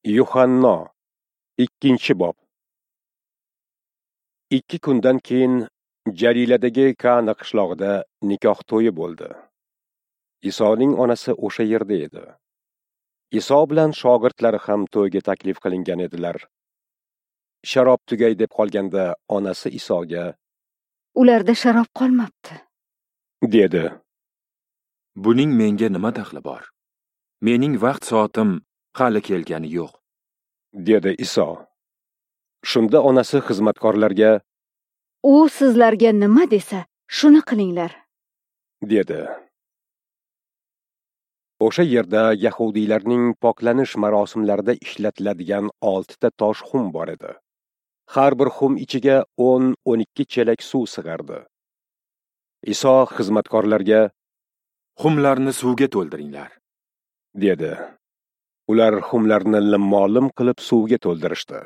Yuhanno, 2-bob. 2 kundan keyin Jaliladagi Kana qishlog'ida nikoh to'yi bo'ldi. Isoning onasi o'sha yerda edi. Iso bilan shogirdlari ham to'yga taklif qilingan edilar. Sharob tugay deb qolganda onasi Isoga: "Ularda sharob qolmabdi", dedi. "Buning menga nima daxli bor? Mening vaqt soatim hali kelgani yo'q", dedi Iso. Shunda onasi xizmatkorlarga: "U sizlarga nima desa, shuni qilinglar", dedi. O'sha yerda yahudiylarning poklanish marosimlarida ishlatiladigan 6 ta tosh xum bor edi. Har bir xum ichiga 10-12 chelak suv sig'ardi. Iso xizmatkorlarga: "Xumlarni suvga to'ldiringlar", dedi. Ular xumlarni limmo-lim qilib suvga to'ldirishdi.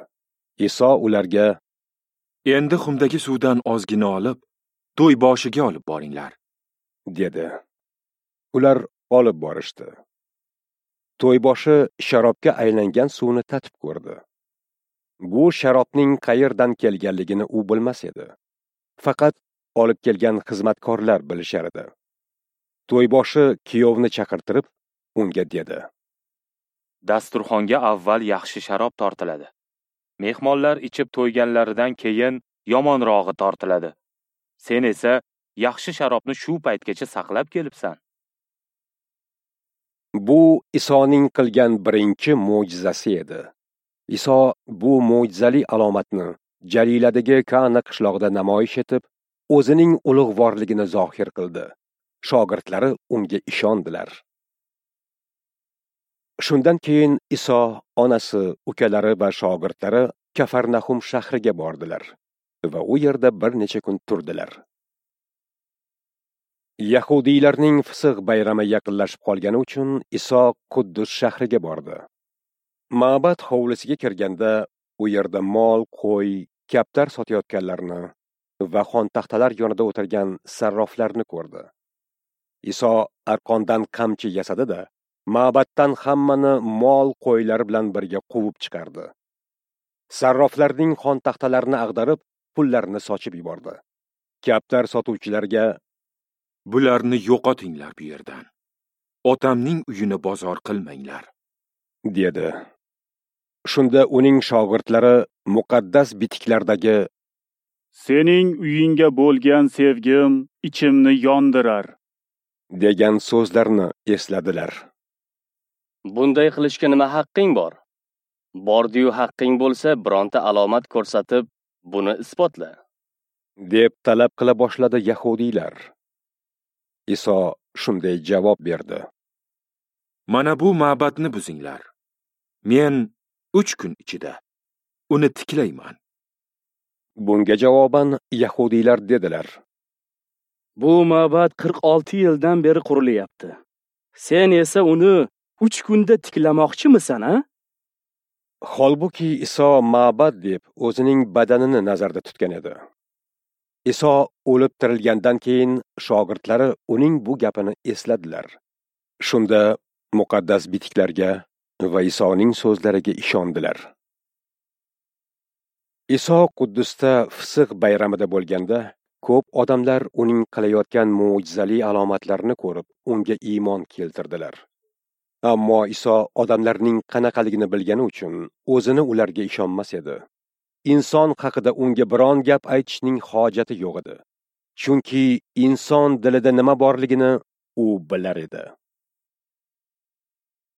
Iso ularga: "Endi xumdagi suvdan ozgina olib, to'y boshiga olib boringlar", dedi. Ular olib borishdi. To'yboshi sharobga aylangan suvni tatib ko'rdi. Bu sharobning qayerdan kelganligini u bilmas edi. Faqat olib kelgan xizmatkorlar bilishar edi. To'yboshi kuyovni chaqirtirib, unga dedi: "Dasturxonga avval yaxshi sharob tortiladi. Mehmonlar ichib to'yganlaridan keyin yomonrog'i tortiladi. Sen esa yaxshi sharobni shu paytgacha saqlab kelibsan." Bu Isoning qilgan birinchi mo'jizasi edi. Iso bu mo'jizali alomatni Jaliladagi Kana qishlog'ida namoyish etib, o'zining ulug'vorligini zohir qildi. Shogirdlari unga ishondilar. Shundan keyin Iso, onasi, ukalari va shogirdlari Kafarnahum shahriga bordilar va u yerda bir necha kun turdilar. Yahudiylarning Fisq bayrami yaqinlashib qolgani uchun Iso Quddus shahriga bordi. Ma'bad hovlisiga kirganda u yerda mol, qo'y, kaptar sotayotganlarni va xontaxtalar yonida o'tirgan sarroflarni ko'rdi. Iso arqondan qamchi yasadi-da, ma'baddan hammani mol, qo'ylar bilan birga quvib chiqardi. Sarroflarning xontaxtalarini ag'darib, pullarini sochib yubordi. Kaptar sotuvchilarga: "Bularni yo'qotinglar bu yerdan. Otamning uyini bozor qilmanglar", dedi. Shunda uning shogirdlari muqaddas bitiklardagi "Sening uyingga bo'lgan sevgim ichimni yondirar" degan so'zlarni esladilar. "Bunday qilishga nima haqqing bor? Bordi-yu haqqing bo'lsa, bironta alomat ko'rsatib, buni isbotla", deb talab qila boshladi yahudiylar. Iso shunday javob berdi: "Mana bu ma'badni buzinglar. Men 3 kun ichida uni tiklayman." Bunga javoban yahudiylar dedilar: "Bu ma'bad 46 yildan beri qurilyapti. Sen esa uni 3 kunda tiklamoqchimisan, a?" Holbuki Iso ma'bad deb o'zining badanini nazarda tutgan edi. Iso o'lib tirilgandan keyin shogirdlari uning bu gapini esladilar. Shunda muqaddas bitiklarga va Isoning so'zlariga ishondilar. Iso Quddusda Fisq bayramida bo'lganda, ko'p odamlar uning qilayotgan mo'jizali alomatlarini ko'rib, unga iymon keltirdilar. Ammo Iso odamlarning qanaqaligini bilgani uchun o'zini ularga ishonmas edi. Inson haqida unga biron gap aytishning hojati yo'q edi. Chunki inson dilida nima borligini u bilar edi.